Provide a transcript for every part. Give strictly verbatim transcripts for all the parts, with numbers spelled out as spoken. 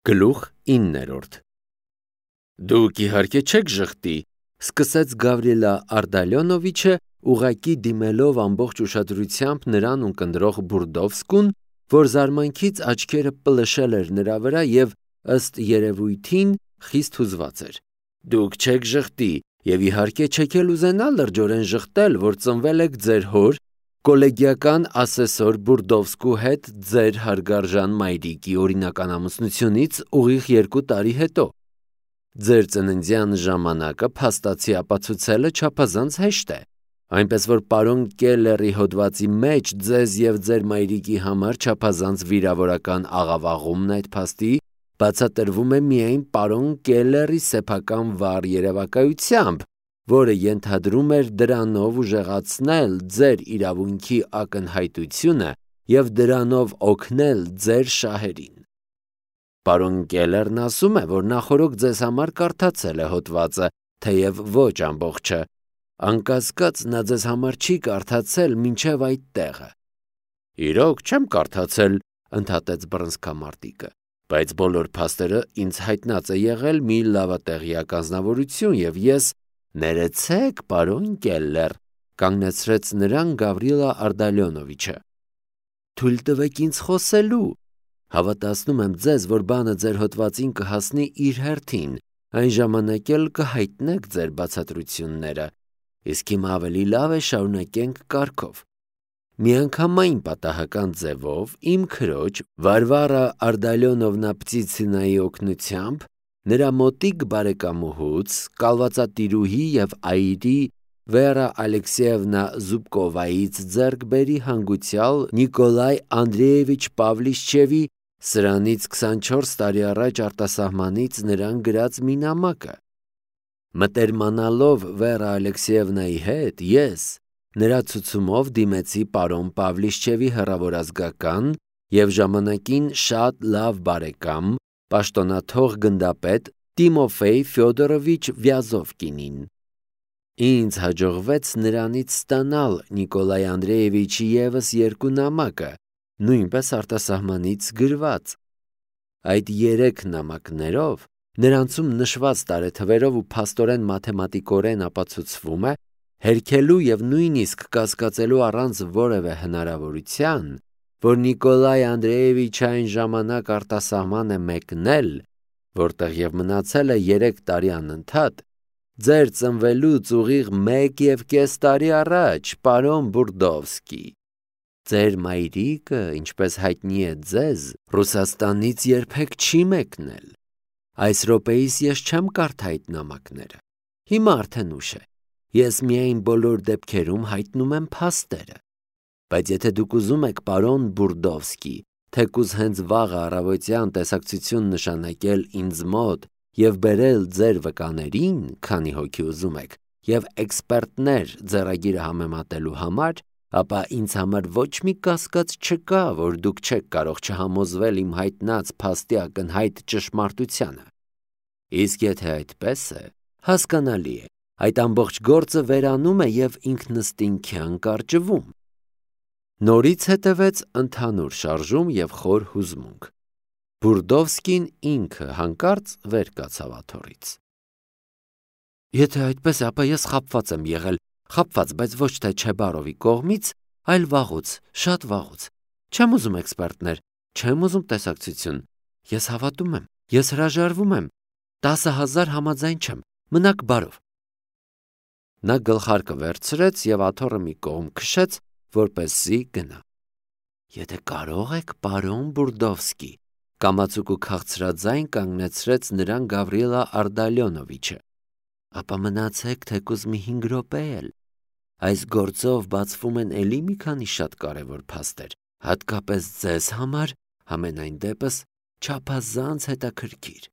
Գլուխ իններորդ Դուք իհարկե չեք ժխտի, սկսեց Գավրիելա Արդալյոնովիչը, ուղղակի դիմելով ամբողջ ուշադրությամբ նրան ունկնդրող Բուրդովսկուն, որ զարմանքից աչքերը պլշել էր նրա վրա և ըստ երևույթին խիստ հուզված էր. Դուք չեք ժխտի և իհարկե չեք էլ ուզենա լրջորեն ժխտել, որ ծնվել եք ձեր հոր, կոլեգիական ասեսոր Բուրդովսկու հետ ձեր հարգարժան մայրիկի օրինական ամուսնությունից ուղիղ երկու տարի հետո։ Ձեր ծննդյան ժամանակը փաստացի ապացուցելը չափազանց հեշտ է, այնպես որ պարոն Կելլերի հոդվածի մեջ ձեզ և ձեր մայրիկի համար չափազանց վիրավորական աղավաղումն այդ փաստի բացատրվում է միայն պարոն Կելլերի սեփական վառ երևակայությամբ, որը ենթադրում էր դրանով ուժեղացնել ձեր իրավունքի ակնհայտությունը և դրանով օգնել ձեր շահերին։ Պարոն Կելլերն ասում է, որ նախօրոք ձեզ համար կարդացել է հոդվածը, թեև ոչ ամբողջը, անկասկած նա ձեզ համար չի կարդացել մինչև այդ տեղը։ Իրոք չեմ կարդացել, ընդհատեց բռնցքամարտիկը, բայց բոլոր փաստերը ինձ հայտնած է եղել մի լավատեղյակ անձնավորություն և ես ներեցեք, պարոն Կելլեր, կանգնեցրեց նրան Գավրիելա Արդալյոնովիչը։ Թույլ տվեք ինձ խոսելու։ Հավատացնում եմ ձեզ, որ բանը ձեր հոդվածին կհասնի իր հերթին, այն ժամանակ էլ կհայտնեք ձեր բացատրությունները, իսկ հիմա ավելի լավ է շարունակենք կարգով։ Միանգամայն պատահական ձևով իմ քրոջ Վարվարա Արդալյոնովնա Պտիցինայի օգնությամբ նրա մոտիկ բարեկամուհուց, կալվածատիրուհի և այրի Վերա Ալեքսեևնա Զուբկովայից ձեռք բերի հանգուցյալ Նիկոլայ Անդրեևիչ Պավլիշչևի սրանից քսանչորս տարի առաջ արտասահմանից նրան գրած մի նամակը։ Մտերմանալով Վերա Ալեքսեևնայի հետ, ես նրա ցուցումով դիմեցի պարոն Պավլիշչևի հեռավորազգական և ժամանակին շատ լավ բարեկամ, պաշտոնաթող գնդապետ Տիմոֆեյ Ֆյոդորովիչ Վյազովկինին։ Ինձ հաջողվեց նրանից ստանալ Նիկոլայ Անդրեևիչի ևս երկու նամակը, նույնպես արտասահմանից գրված։ Այդ երեք նամակներով նրանցում նշված տարեթվերով ու փաստորեն մաթեմատիկորեն ապացուցվում է, հերքելու և նույնիսկ կասկածելու առանց որևէ հնարավորության, որ Նիկոլայ Անդրեևիչը այն ժամանակ արտասահման է մեկնել, որտեղ և մնացել է երեք տարի անընդհատ, ձեր ծնվելուց ուղիղ մեկ և կես տարի առաջ, պարոն Բուրդովսկի։ Ձեր մայրիկը, ինչպես հայտնի է ձեզ, Ռուսաստանից երբեք չի մեկնել։ Այս րոպեիս ես չեմ կարդա այդ նամակները։ Հիմա արդեն ուշ է։ Ես միայն բոլոր դեպքերում հայտնում եմ փաստերը։ Բայց եթե դուք ուզում եք, պարոն Բուրդովսկի, թեկուզ հենց վաղը առավոտյան տեսակցություն նշանակել ինձ մոտ և բերել ձեր վկաներին, քանի հոգի ուզում եք, և էքսպերտներ ձեռագիրը համեմատելու համար, ապա ինձ համար ոչ մի կասկած չկա, որ դուք չեք կարող չհամոզվել իմ հայտնած փաստի ակնհայտ ճշմարտությանը։ Իսկ եթե այդպես է, հասկանալի է, այդ ամբողջ գործը վերանում է և ինքնըստինքյան կարճվում։ Նորից հետևեց ընդհանուր շարժում և խոր հուզմունք։ Բուրդովսկին ինքը հանկարծ վեր կացավ աթոռից։ Եթե այդպես է, ապա ես խաբված եմ եղել, խաբված, բայց ոչ թե Չեբարովի կողմից, այլ վաղուց, շատ վաղուց։ Չեմ ուզում էքսպերտներ, չեմ ուզում տեսակցություն։ Ես հավատում եմ, ես հրաժարվում եմ, տասը հազար համաձայն չեմ, մնաք բարով։ Նա գլխարկը վերցրեց և աթոռը մի կողմ քշեց, որպեսզի գնա։ Եթե կարող եք, պարոն Բուրդովսկի, կամացուկ ու քաղցրաձայն կանգնեցրեց նրան Գավրիելա Արդալյոնովիչը, ապա մնացեք թեկուզ մի հինգ րոպե էլ։ Այս գործով բացվում են էլի մի քանի շատ կարևոր փաստեր, հատկապես ձեզ համար, համենայն դեպս, չափազանց հետաքրքիր։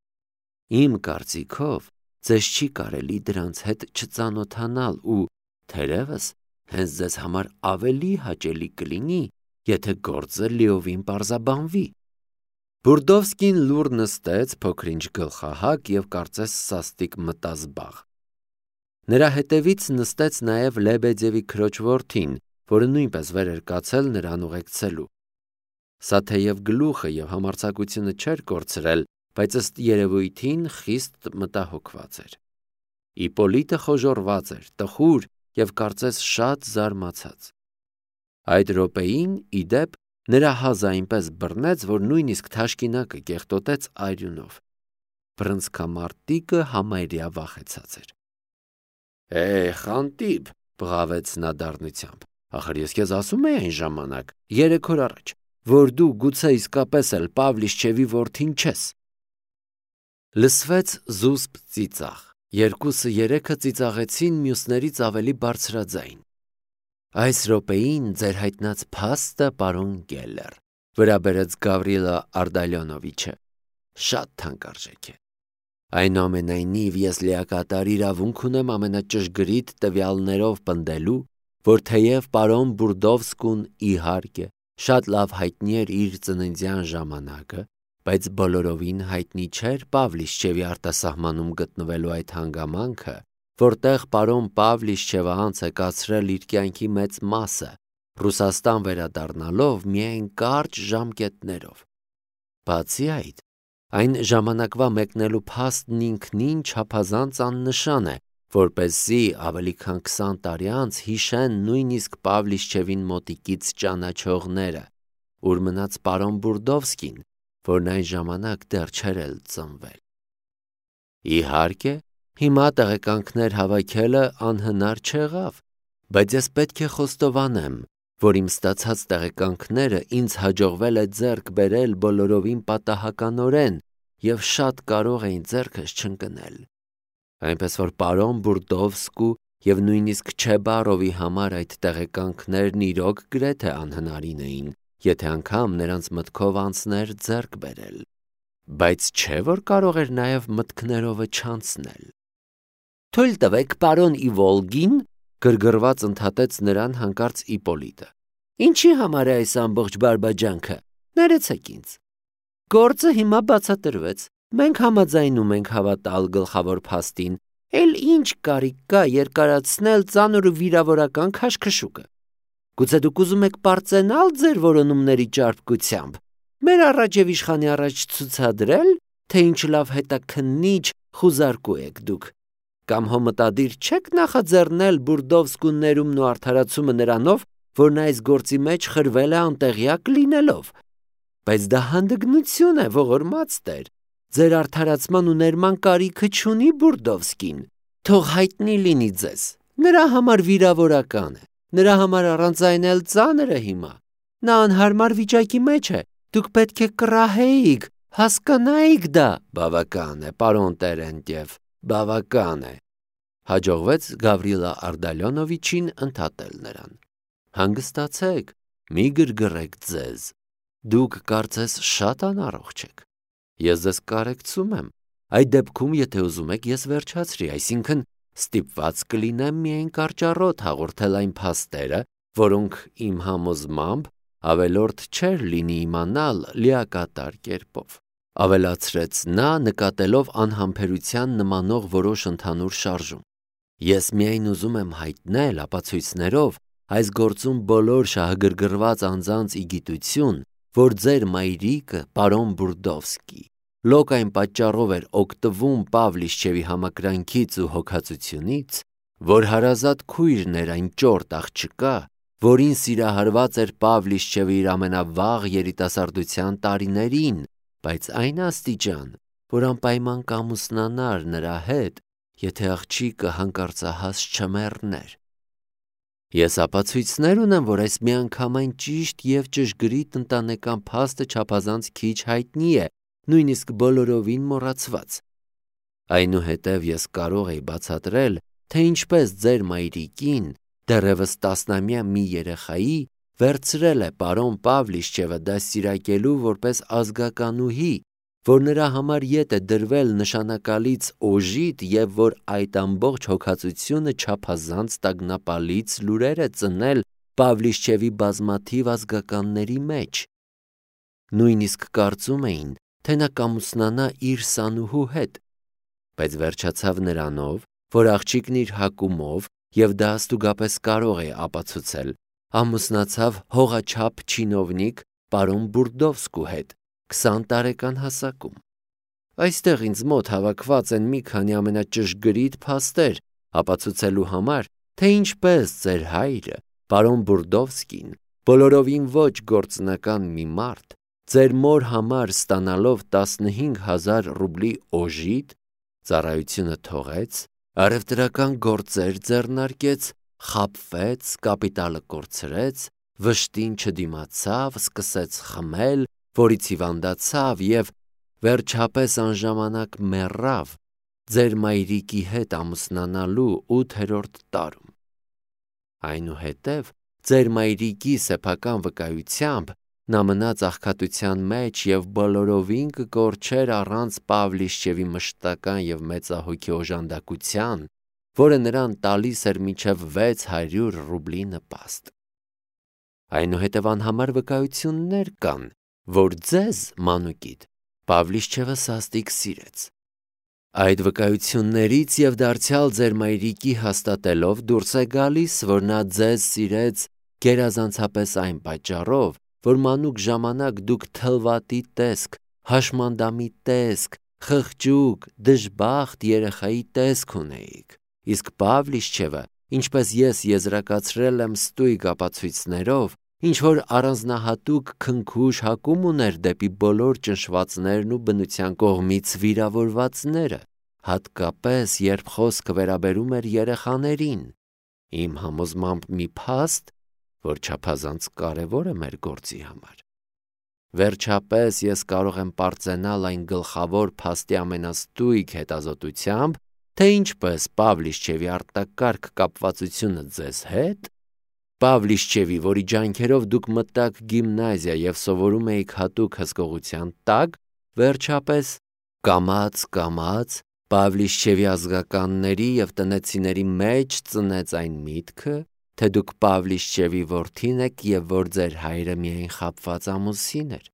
Իմ կարծիքով, ձեզ չի կարելի դրանց հետ չծանոթանալ ու, թերևս, հենց ձեզ համար ավելի հաճելի կլինի, եթե գործը լիովին պարզաբանվի։ Բուրդովսկին լուռ նստեց, փոքր-ինչ գլխահակ և կարծես սաստիկ մտազբաղ։ Նրա հետևից նստեց նաև Լեբեդևի քրոջ որդին, որը նույնպես վեր էր կացել նրան ուղեկցելու։ Սա թեև գլուխը և համարձակությունը չէր կորցրել, բայց ըստ երևույթին խիստ մտահոգված էր։ Իպոլիտը խոժոռված էր, տխուր և կարծես շատ զարմացած։ Այդ րոպեին, ի դեպ, նրա հազը այնպես բռնեց, որ նույնիսկ թաշկինակը կեղտոտեց արյունով։ Բռնցքամարտիկը համարյա վախեցած էր։ «Է, խանտիպ», բղավեց նա դառնությամբ, «ախր ես քեզ ասում էի այն ժամանակ, երեք օր առաջ, որ դու գուցե իսկապես էլ Պավլիչչևի որդին չես»։ Լսվեց զուսպ ծիծաղ։ Երկուսը երեքը ծիծաղեցին մյուսներից ավելի բարձրաձայն։ «Այս րոպեին ձեր հայտնած փաստը, պարոն Գելլեր», վրա բերեց Գավրիլա Արտալյոնովիչը, «շատ թանկարժեք է։ Այնուամենայնիվ ես լիակատար իրավունք ունեմ ամենաճշգրիտ տվյալներով պնդելու, որ թեև պարոն Բուրդովսկուն, իհարկե, շատ լավ հայտնի էր իր ծննդյան ժամանակը, բայց բոլորովին հայտնի չէր Պավլիչչևի արտասահմանում գտնվելու այդ հանգամանքը, որտեղ պարոն Պավլիչչևը անց է կացրել իր կյանքի մեծ մասը, Ռուսաստան վերադառնալով միայն կարճ ժամկետներով։ Բացի այդ, այն ժամանակվա մեկնելու փաստն ինքնին չափազանց աննշան է, որպեսզի ավելի քան քսան տարի անց հիշեն նույնիսկ Պավլիչչևին մոտիկից ճանաչողները, ուր մնաց պարոն Բուրդովսկին, որն այն ժամանակ դեռ չէր էլ ծնվել։ Իհարկե, հիմա տեղեկանքներ հավաքելը անհնար չեղավ, բայց ես պետք է խոստովանեմ, որ իմ ստացած տեղեկանքները ինձ հաջողվել է ձեռք բերել բոլորովին պատահականորեն և շատ կարող էին ձեռքս չընկնել։ Այնպես որ պարոն Բուրդովսկու և նույնիսկ Չեբարովի համար այդ տեղեկանքներն իրոք գրեթե անհնարին էին, եթե անգամ նրանց մտքով անցներ ձեռք բերել, բայց չէ՞ որ կարող էր նաև մտքներովը չանցնել։ «Թույլ տվեք, պարոն Իվոլգին», գրգռված ընդհատեց նրան հանկարծ Իպոլիտը։ «Ինչի համար է այս ամբողջ բարբաջանքը, ներեցեք ինձ։ Գործը հիմա բացատրվեց, մենք համաձայնում ենք հավատալ գլխավոր փաստին, էլ ինչ կարիք կա երկարացնել ծանր ու վիրավորական քաշքշուկը։ Գուցե դուք ուզում եք պարծենալ ձեր որոնումների ճարպկությամբ, մեր առաջ և իշխանի առաջ ցուցադրել, թե ինչ լավ հետաքննիչ խուզարկու եք դուք, կամ հո մտադիր չեք նախաձեռնել Բուրդովսկու ներումն ու արդարացումը նրանով, որ նա այս գործի մեջ խրվել է անտեղյակ լինելով։ Բայց դա հանդգնություն է, ողորմած տեր, ձեր արդարացման ու ներման կարիքը չունի Բուրդովսկին, թող հայտնի լինի ձեզ, նրա համար վիրավորական է, նրա համար առանց այն էլ ծանր է հիմա, նա անհարմար վիճակի մեջ է, դուք պետք է կռահեիք, հասկանայիք դա»։ «Բավական է, պարոն Տերենտև, բավական է», հաջողվեց Գավրիլա Արտալյոնովիչին ընդհատել նրան։ «Հանգստացեք, մի գրգռեք ձեզ, դուք կարծես շատ անառողջ եք։ Ես ձեզ կարեկցում եմ, այդ դեպքում, եթե ուզում եք, ես վերջացրի, այսինքն ստիպված կլինեմ միայն կարճառոտ հաղորդել այն փաստերը, որոնք իմ համոզմամբ ավելորդ չէր լինի իմանալ լիակատար կերպով», ավելացրեց նա, նկատելով անհամբերության նմանող որոշ ընդհանուր շարժում։ «Ես միայն ուզում եմ հայտնել ապացույցներով այս գործում բոլոր շահագրգռված անձանց ի գիտություն, որ ձեր մայրիկը, պարոն Բուրդովսկի, լոկ այն պատճառով էր օգտվում Պավլիչչևի համակրանքից ու հոգածությունից, որ հարազատ քույրն էր այն ճորտ աղջկա, որին սիրահարված էր Պավլիչչևը իր ամենավաղ երիտասարդության տարիներին, բայց այն աստիճան, որ անպայման կամուսնանար նրա հետ, եթե աղջիկը հանկարծահաս չմեռներ։ Ես ապացույցներ ունեմ, որ այս միանգամայն ճիշտ և ճշգրիտ ընտանեկան փաստը չափազանց քիչ հայտնի է, նույնիսկ բոլորովին մոռացված։ Այնուհետև ես կարող էի բացատրել, թե ինչպես ձեր մայրիկին, դեռևս տասնամյա մի երեխայի, վերցրել է պարոն Պավլիչչևը դաստիարակելու որպես ազգականուհի, որ նրա համար ետ է դրվել նշանակալից օժիտ և որ այդ ամբողջ հոգածությունը չափազանց տագնապալից լուրեր է ծնել Պավլիչչևի բազմաթիվ ազգականների մեջ։ Նույնիսկ կարծում էին, թե նա կամուսնանա իր սանուհու հետ, բայց վերջացավ նրանով, որ աղջիկն իր հակումով, և դա ստուգապես կարող է ապացուցել, ամուսնացավ հողաչափ չինովնիկ պարոն Բուրդովսկու հետ, քսան տարեկան հասակում։ Այստեղ ինձ մոտ հավաքված են մի քանի ամենաճշգրիտ փաստեր ապացուցելու համար, թե ինչպես ձեր հայրը, պարոն Բուրդովսկին, բոլորովին ոչ գործնական մի մարդ, ձեր մոր համար ստանալով տասնհինգ հազար ռուբլի օժիտ, ծառայությունը թողեց, առևտրական գործեր ձեռնարկեց, խաբվեց, կապիտալը կորցրեց, վշտին չդիմացավ, սկսեց խմել, որից հիվանդացավ և վերջապես անժամանակ մեռավ ձեր մայրիկի հետ ամուսնանալու ութերորդ տարում։ Այնուհետև ձեր մայրիկի սեփական վկայությամբ նա մնաց աղքատության մեջ և բոլորովին կկորչեր առանց Պավլիշչևի մշտական և մեծահոգի օժանդակության, որը նրան տալիս էր մինչև վեց հարյուր ռուբլի նպաստ։ Այնուհետև անհամար վկայություններ կան, որ ձեզ, մանուկիդ, Պավլիշչևը սաստիկ սիրեց։ Այդ վկայություններից և դարձյալ ձեր մայրիկի հաստատելով դուրս է գալիս, որ նա ձեզ սիրեց գերազանցապես այն պատճառով, որ մանուկ ժամանակ դուք թլվատի տեսք, հաշմանդամի տեսք, խղճուկ, դժբախտ երեխայի տեսք ունեիք, իսկ Պավլիշչևը, ինչպես ես եզրակացրել եմ ստույգ ապացույցներով, ինչ-որ առանձնահատուկ քնքուշ հակում ուներ դեպի բոլոր ճնշվածներն ու բնության կողմից վիրավորվածները, հատկապես երբ խոսքը վերաբերում էր երեխաներին, իմ համոզմամբ մի փաստ, որ չափազանց կարևոր է մեր գործի համար։ Վերջապես ես կարող եմ պարծենալ այն գլխավոր փաստի ամենաստույգ հետազոտությամբ, թե ինչպես Պավլիշչևի արտակարգ կապվածությունը ձեզ հետ, Պավլիշչևի, որի ջանքերով դուք մտաք գիմնազիա և սովորում էիք հատուկ հսկողության տակ, վերջապես կամաց-կամաց Պավլիշչևի ազգականների և տնեցիների մեջ ծնեց այն միտքը, թե դուք Պավլիշչևի որդին եք և որ ձեր հայրը միայն խաբված ամուսին էր։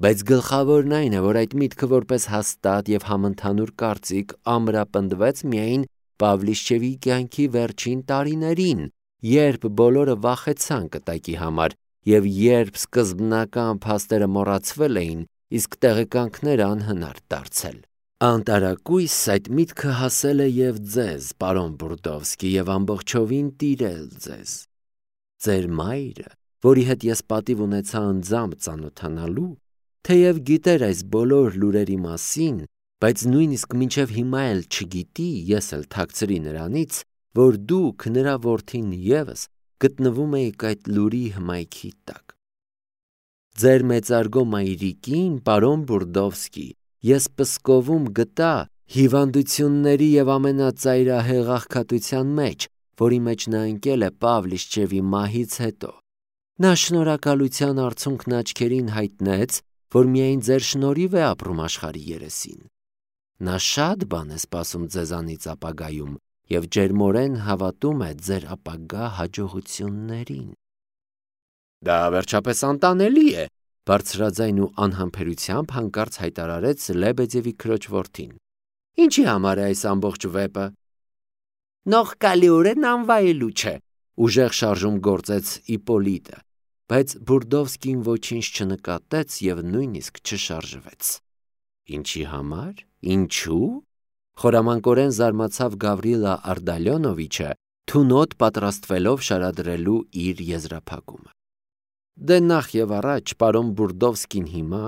Բայց գլխավորն այն է, որ այդ միտքը որպես հաստատ և համընդհանուր կարծիք ամրապնդվեց միայն Պավլիշչևի կյանքի վերջին տարիներին, երբ բոլորը վախեցան կտակի համար և երբ սկզբնական փաստերը մոռացվել էին, իսկ տեղեկանքները անհնար դարձել։ Անտարակույս այդ միտքը հասել է և ձեզ, պարոն Բուրդովսկի, և ամբողջովին տիրել ձեզ։ Ձեր մայրը, որի հետ ես պատիվ ունեցա անձամբ ծանոթանալու, թեև գիտեր այս բոլոր լուրերի մասին, բայց նույնիսկ մինչև հիմա էլ չգիտի, ես էլ թաքցրի նրանից, որ դուք, նրա որդին ևս, գտնվում էիք այդ լուրի հմայքի տակ։ Ձեր մեծարգո մայրիկին, պարոն Բուրդովսկի, ես Պսկովում գտա հիվանդությունների և ամենածայրահեղ աղքատության մեջ, որի մեջ նա ընկել է Պավլիշչևի մահից հետո։ Նա շնորհակալության արցունքն աչքերին հայտնեց, որ միայն ձեր շնորհիվ է ապրում աշխարհի երեսին։ Նա շատ բան է սպասում ձեզանից ապագայում և ջերմորեն հավատում է ձեր ապագա հաջողություններին։ Դա վերջապես անտանելի է, բարձրաձայն ու անհամբերությամբ հանկարծ հայտարարեց Լեբեդևի քրոջ որդին։ Ինչի համար է այս ամբողջ վեպը։ Նողկալիորեն անվայելու չէ, ուժեղ շարժում գործեց Իպոլիտը, բայց Բուրդովսկին ոչինչ չնկատեց և նույնիսկ չշարժվեց։ Ինչի համար, ինչու։ Խորամանկորեն զարմացավ Գավրիլա Արդալյոնովիչը, թունոտ պատրաստվելով շարադրելու իր եզրափակումը։ Դե նախ և առաջ պարոն Բուրդովսկին հիմա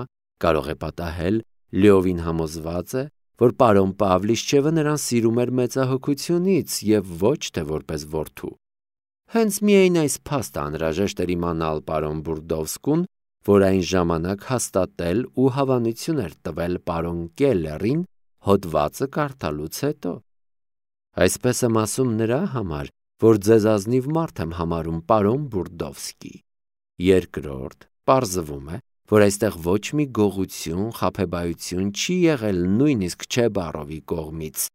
կարող է պատահել լիովին համոզված է, որ պարոն Պավլիշչևը նրան սիրում էր մեծահոգությունից և ոչ թե որպես որդու։ Հենց միայն այս փաստը անհրաժեշտ էր իմանալ պարոն Բուրդովսկուն, որ այն ժամանակ հաստատել ու հավանություն էր տվել պարոն Կելլերին հոդվածը կարդալուց հետո։ Այսպես եմ ասում նրա համար, որ ձեզ ազնիվ մարդ եմ համարում, պարոն Բուրդովսկի։ Երկրորդ, պարզվում է, որ այստեղ ոչ մի գողություն, խաբեբայություն չի եղել նույնիսկ Չեբարովի կողմից։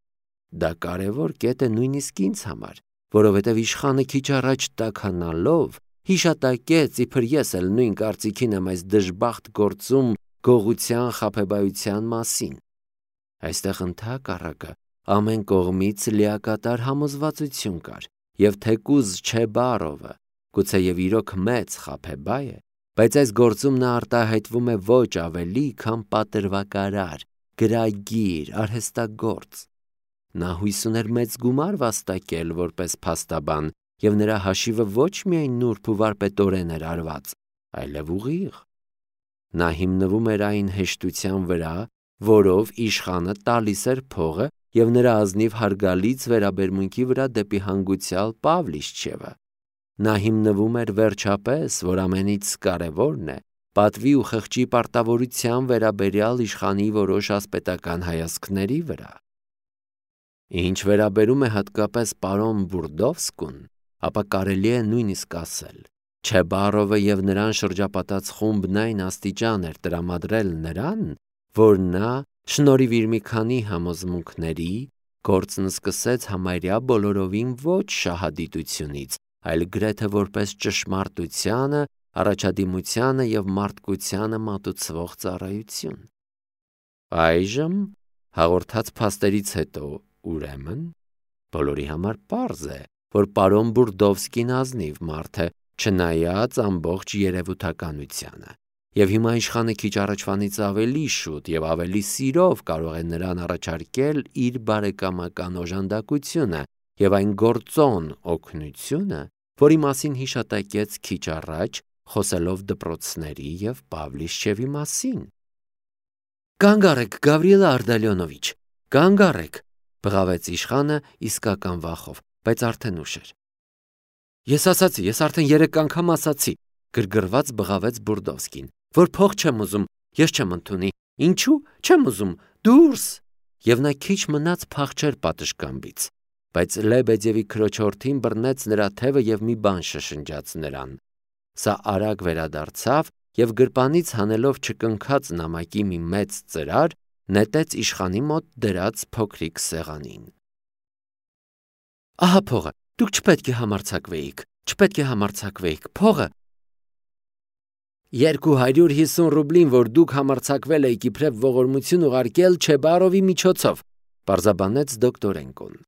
Դա կարևոր կետ է նույնիսկ ինձ համար, որովհետև իշխանը քիչ առաջ տաքանալով հիշատակեց, իբր ես էլ նույն կարծիքին եմ այս դժբախտ գործում գողության, խաբեբայության մասին։ Այստեղ ընդհակառակը ամեն կողմից լիակատար համոզվածություն կար, և թեկուզ Չեբարովը գուցեև իրոք մեծ խաբեբայ է, բայց այս գործում նա արտահայտվում է ոչ ավելի, քան պատրվակարար, գրագիր, արհեստագործ։ Նա հույս ուներ մեծ գումար վաստակել որպես փաստաբան, և նրա հաշիվը ոչ միայն նուրբ ու վարպետորեն էր արված, այլև ուղիղ։ Նա հիմնվում էր այն հեշտության վրա, որով իշխանը տալիս էր փողը և նրա ազնիվ հարգալից վերաբերմունքի վրա դեպի հանգուցյալ Պավլիչևը։ Նա հիմնվում էր վերջապես, որ ամենից կարևորն է, պատվի ու խղճի պարտավորության վերաբերյալ իշխանի որոշ ասպետական հայացքների վրա։ Ինչ վերաբերում է հատկապես պարոն Բուրդովսկուն, ապա կարելի է նույնիսկ ասել. Չեբարովը և նրան շրջապատած խումբն այն աստիճան էր տրամադրել նրան, որ նա, շնորհիվ իր մի քանի համոզմունքների, գործն սկսեց համարյա բոլորովին ոչ շահադիտությունից, այլ գրեթե որպես ճշմարտությանը, առաջադիմությանը և մարդկությանը մատուցվող ծառայություն։ Այժմ, հաղորդած փաստերից հետո, ուրեմն, բոլորի համար պարզ է, որ պարոն Բուրդովսկին ազնիվ մարդ է, չնայած ամբողջ երևութականությանը, և հիմա իշխանը քիչ առաջվանից ավելի շուտ և ավելի սիրով կարող է նրան առաջարկել իր բարեկամական օժանդակությունը և այն գործոն օգնությունը, որի մասին հիշատակեց քիչ առաջ, խոսելով դպրոցների և Պավլիչևի մասին։ «Կանգ առեք, Գավրիել Արտալիոնովիչ, կանգ առեք», բղավեց իշխանը իսկական վախով, բայց արդեն ուշ էր։ «Ես ասացի, ես արդեն երեք անգամ ասացի», գրգռված բղավեց Բուրդովսկին, որ փող չեմ ուզում, ես չեմ ընդունի, ինչու, չեմ ուզում, դուրս։ Եվ նա քիչ մնաց փախչեր պատշգամբից, բայց Լեբեդևի քրոջորդին բռնեց նրա թևը և մի բան շշնջաց նրան։ Սա արագ վերադարձավ և գրպանից հանելով չկնքած նամակի մի մեծ ծրար, նետեց իշխանի մոտ դրած փոքրիկ սեղանին։ «Ահա փողը, դուք չպետք է համարձակվեիք, չպետք է համարձակվեիք, փողը»։ Երկու հարյուր հիսուն ռուբլին, որ դուք համարձակվել էիք իբրև ողորմություն ուղարկել Չեբարովի միջոցով, պարզաբանեց դոկտորենկոն։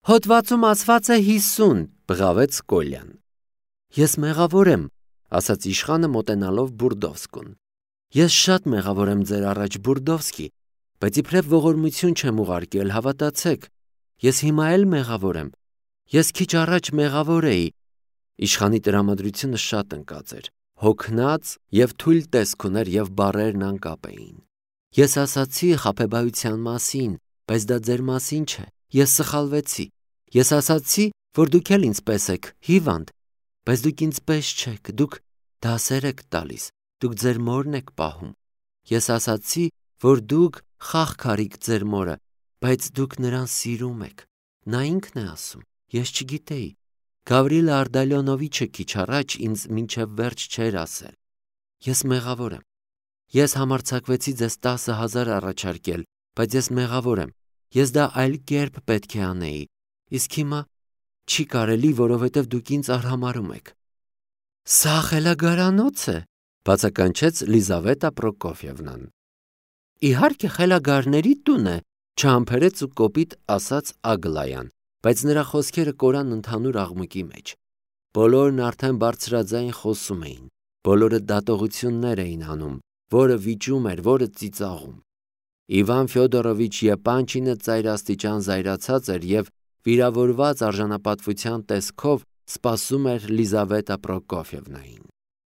Հոդվածում ասված է հիսուն, բղավեց Կոլյան։ Ես մեղավոր եմ, ասաց իշխանը մոտենալով Բուրդովսկուն։ Ես շատ մեղավոր եմ ձեր առաջ, Բուրդովսկի, բայց իբրև ողորմություն չեմ ուղարկել, հավատացեք։ Ես հիմա էլ մեղավոր եմ։ Ես քիչ առաջ մեղավոր էի։ Իշխանի տրամադրությունը շատ ընկած էր, հոգնած և թույլ տեսք ուներ և բառերն անկապ էին։ Ես ասացի խաբեբայության մասին, բայց դա ձեր մասին չէ, ես սխալվեցի։ Ես ասացի, որ դուք էլ ինձ պես եք, հիվանդ, բայց դուք ինձ պես չեք, դուք դասեր եք տալիս, դուք ձեր մորն եք պահում։ Ես ասացի, որ դուք խաղքարիք ձեր մորը, բայց դուք նրան սիրում եք։ Նա ինքն է ասում, ես չգիտեի։ Գավրիել Արտալիոնովիչը քիչ առաջ ինձ մինչև վերջ չէր ասել։ Ես մեղավոր եմ։ Ես համարձակվեցի ձեզ տասը հազար առաջարկել, բայց ես մեղավոր եմ։ Ես դա այլ կերպ պետք է անեի։ Իսկ հիմա չի կարելի, որովհետև դուք ինձ արհամարհում եք։ Սա խելագարանոց է, բացականչեց Լիզավետա Պրոկոֆիևնան։ Իհարկե խելագարների տուն է, չհամբերեց ու կոպիտ ասաց Ագլայան, բայց նրա խոսքերը կորան ընդհանուր աղմուկի մեջ։ Բոլորն արդեն բարձրաձայն խոսում էին, բոլորը դատողություններ էին անում, որը վիճում էր, որը ծիծաղում։ Իվան Ֆյոդորովիչ Եպանչինը ծայրաստիճան զայրացած էր և վիրավորված արժանապատվության տեսքով սպասում էր Լիզավետա Պրոկոֆիևնային։